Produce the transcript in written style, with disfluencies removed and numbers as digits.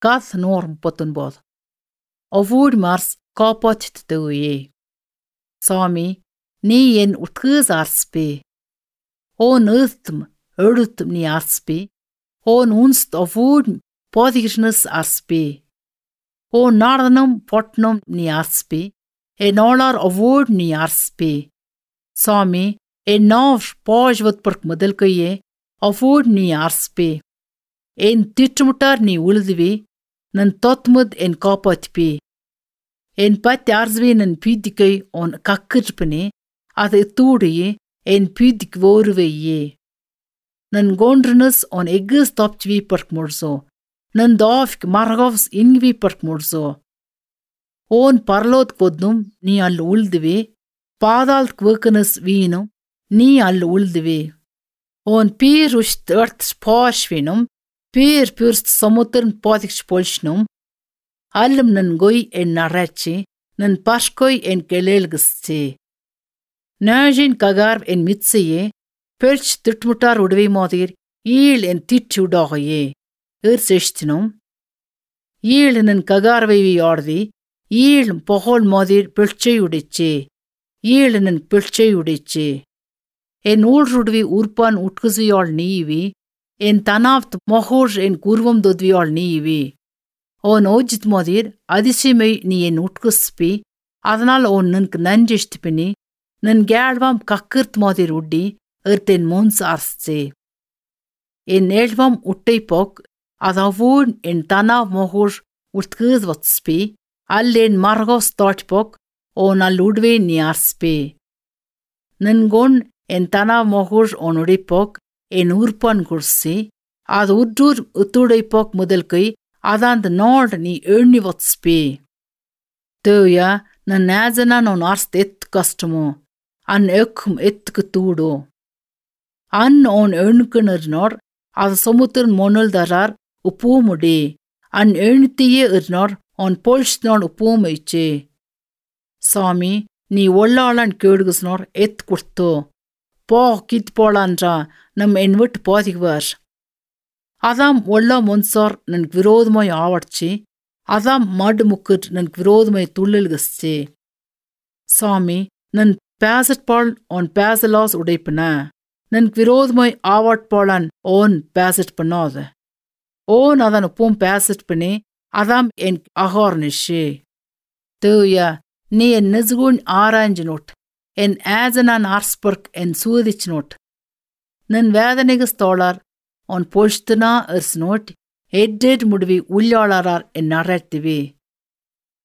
Gath norm pottenbod. Avud mars kapot tøye. Sami, ni en utgøs arspe. On øthm, ødutm ni arspe. On unst avud podignes arspe. On nardanum potnum ni arspe. En olar avud ni arspe. Sami, en nav pojvat perk modelkøye. Avud ni arspe. En tittmutar ni uldvi. Nan totmud en kapotpe. En pati arsvi nan pydikøy on kakkirpene. Ad etudige en pydik vorveye. Nan gondrunus on egges toptvi perk morso. Nan dafk margovs ingvi perk morso. On parlot kodnum ni all uldvi. Padalt kvøkenus vinum ni all uldvi. On pyr ust ört spashvinum. Pyr pyrst samutern potiks polsnum. Allum nan goi en narrachi. Nan paskoi en kelelgstse. Najin kagarv en mitseye. Perch tutmutar udvi modir. Yil en titchudaye. Sechtinum. Yil nan kagarvevi ordi. Yil pohol modir perche udiche. Yil nan perche udiche. En ulrudvi urpan utkuzviol niivi. En tanaft mohoj en kurvam dodviol niivi. On ojit modir adisimei ni en utkuspi. Adanal on nank nanjishtpini. Nan gælvam kakkirt modir uddi. Erten mons arsce. En elvam uttepok. Adavun en tanav mohoj utkuzvatspi. Allen margos startpok. On alludve ni arspe. Nan gon en tanav mohoj on udipok. En urpan kursi. Ad uddur utudepok modelkøy. Adand nord ni ønivatspe. Tøya nan nazanan on arst kastumo. An ökkum kutudo. An on önkunurnor. Ad somutern monuldarar upumude. An öntiye urnor on polsnor upumøyche. Sami, ni ollalan kødgusnor kurto. Po kitpolandra nam envut podigvar. Adam olla monsor nan virodmoy avarchi. Adam mad mukkur nan virodmoy tullilgusche. Sami, nan Pazatpal on pazalos udepana. Nan virodmoy avartpalan on pazatpanode. On adan upum pazatpane. Adam en ahornishe. Tøya, ni en nizgun aranjnot. En azanan arsperk en suudichnot. Nan vedanigas tolar on polstuna ersnot. Edded mudvi ullalarar en narrativi.